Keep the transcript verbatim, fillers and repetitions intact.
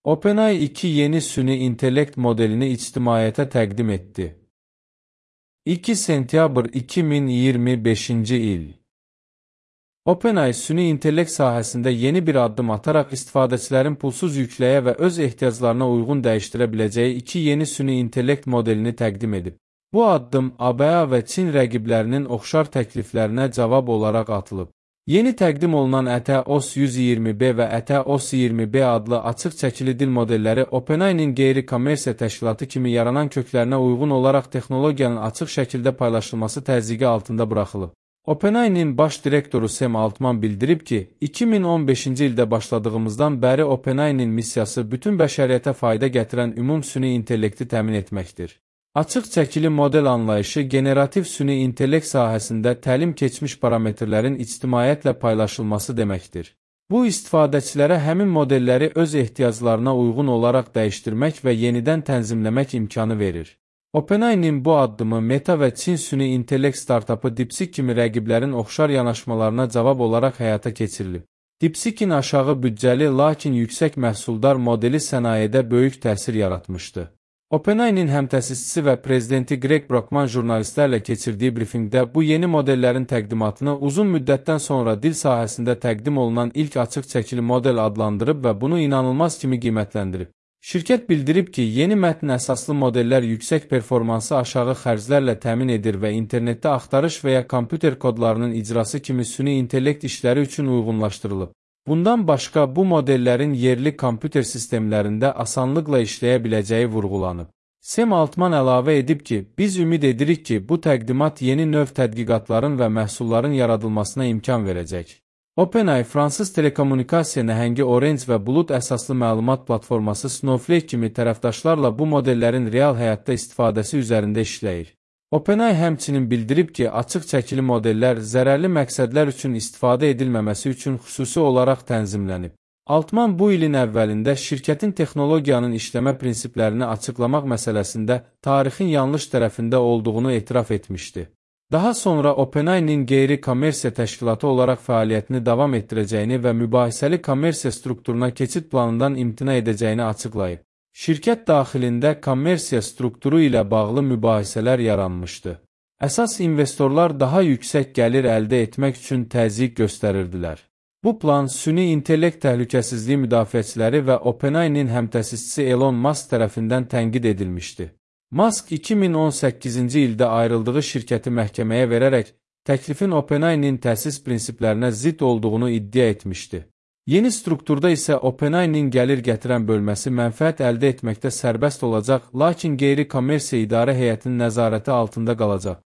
OpenAI iki yeni süni intellekt modelini ictimaiyyətə təqdim etdi. iki sentyabr iki min iyirmi beşinci il. OpenAI süni intellekt sahəsində yeni bir addım ataraq istifadəçilərin pulsuz yükləyə və öz ehtiyaclarına uyğun dəyişdirə biləcəyi iki yeni süni intellekt modelini təqdim edib. Bu addım A B A və Çin rəqiblərinin oxşar təkliflərinə cavab olaraq atılıb. Yeni təqdim olunan Ə T O S yüz iyirmi B və Ə T O S iyirmi B adlı açıq çəkili dil modelləri OpenAI-nin qeyri-kommersiya təşkilatı kimi yaranan köklərinə uyğun olaraq texnologiyanın açıq şəkildə paylaşılması təzyiqi altında buraxılıb. OpenAI-nin baş direktoru Sam Altman bildirib ki, iki min on beşinci ildə başladığımızdan bəri OpenAI-nin missiyası bütün bəşəriyyətə fayda gətirən ümum süni intellekti təmin etməkdir. Açıq çəkili model anlayışı generativ süni intellekt sahəsində təlim keçmiş parametrlərin ictimaiyyətlə paylaşılması deməkdir. Bu, istifadəçilərə həmin modelləri öz ehtiyaclarına uyğun olaraq dəyişdirmək və yenidən tənzimləmək imkanı verir. OpenAI-nin bu addımı Meta və Çin süni intellekt startapı DeepSeek kimi rəqiblərin oxşar yanaşmalarına cavab olaraq həyata keçirilib. DeepSeek-in aşağı büdcəli, lakin yüksək məhsuldar modeli sənayedə böyük təsir yaratmışdı. OpenAI-nin həmtəsisçisi və prezidenti Greg Brockman jurnalistlərlə keçirdiyi brifinqdə bu yeni modellərin təqdimatını uzun müddətdən sonra dil sahəsində təqdim olunan ilk açıq çəkili model adlandırıb və bunu inanılmaz kimi qiymətləndirib. Şirkət bildirib ki, yeni mətn əsaslı modellər yüksək performansı aşağı xərclərlə təmin edir və internetdə axtarış və ya kompüter kodlarının icrası kimi süni intellekt işləri üçün uyğunlaşdırılıb. Bundan başqa, bu modellərin yerli kompüter sistemlərində asanlıqla işləyə biləcəyi vurğulanıb. Sam Altman əlavə edib ki, biz ümid edirik ki, bu təqdimat yeni növ tədqiqatların və məhsulların yaradılmasına imkan verəcək. OpenAI, fransız telekommunikasiya nəhəngi Orange və bulud əsaslı məlumat platforması Snowflake kimi tərəfdaşlarla bu modellərin real həyatda istifadəsi üzərində işləyir. OpenAI həmçinin bildirib ki, açıq çəkili modellər zərərli məqsədlər üçün istifadə edilməməsi üçün xüsusi olaraq tənzimlənib. Altman bu ilin əvvəlində şirkətin texnologiyanın işləmə prinsiplərini açıqlamaq məsələsində tarixin yanlış tərəfində olduğunu etiraf etmişdi. Daha sonra OpenAI-nin qeyri-kommersiya təşkilatı olaraq fəaliyyətini davam etdirəcəyini və mübahisəli kommersiya strukturuna keçid planından imtina edəcəyini açıqlayıb. Şirkət daxilində kommersiya strukturu ilə bağlı mübahisələr yaranmışdı. Əsas investorlar daha yüksək gəlir əldə etmək üçün təzyiq göstərirdilər. Bu plan süni intellekt təhlükəsizliyi müdafiəçiləri və OpenAI-nin həmtəsisçisi Elon Musk tərəfindən tənqid edilmişdi. Musk iki min on səkkizinci ildə ayrıldığı şirkəti məhkəməyə verərək təklifin OpenAI-nin təsis prinsiplərinə zidd olduğunu iddia etmişdi. Yeni strukturda isə OpenAI-nin gəlir gətirən bölməsi mənfəət əldə etməkdə sərbəst olacaq, lakin qeyri-kommersiya idarə heyətinin nəzarəti altında qalacaq.